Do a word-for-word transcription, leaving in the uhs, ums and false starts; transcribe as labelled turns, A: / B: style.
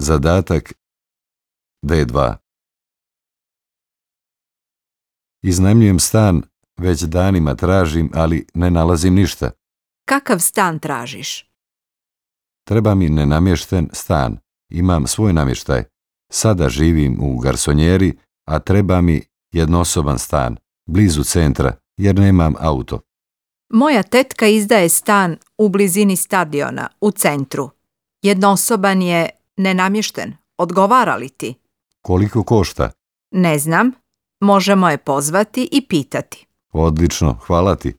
A: Zadatak D dva. Iznajmljujem stan, već danima tražim, ali ne nalazim ništa.
B: Kakav stan tražiš?
A: Treba mi nenamješten stan. Imam svoj namještaj. Sada živim u garsonjeri, a treba mi jednosoban stan, blizu centra, jer nemam auto.
B: Moja tetka izdaje stan u blizini stadiona, u centru. Jednosoban je, nenamješten. Odgovara li ti?
A: Koliko košta?
B: Ne znam. Možemo je pozvati i pitati.
A: Odlično, hvala ti.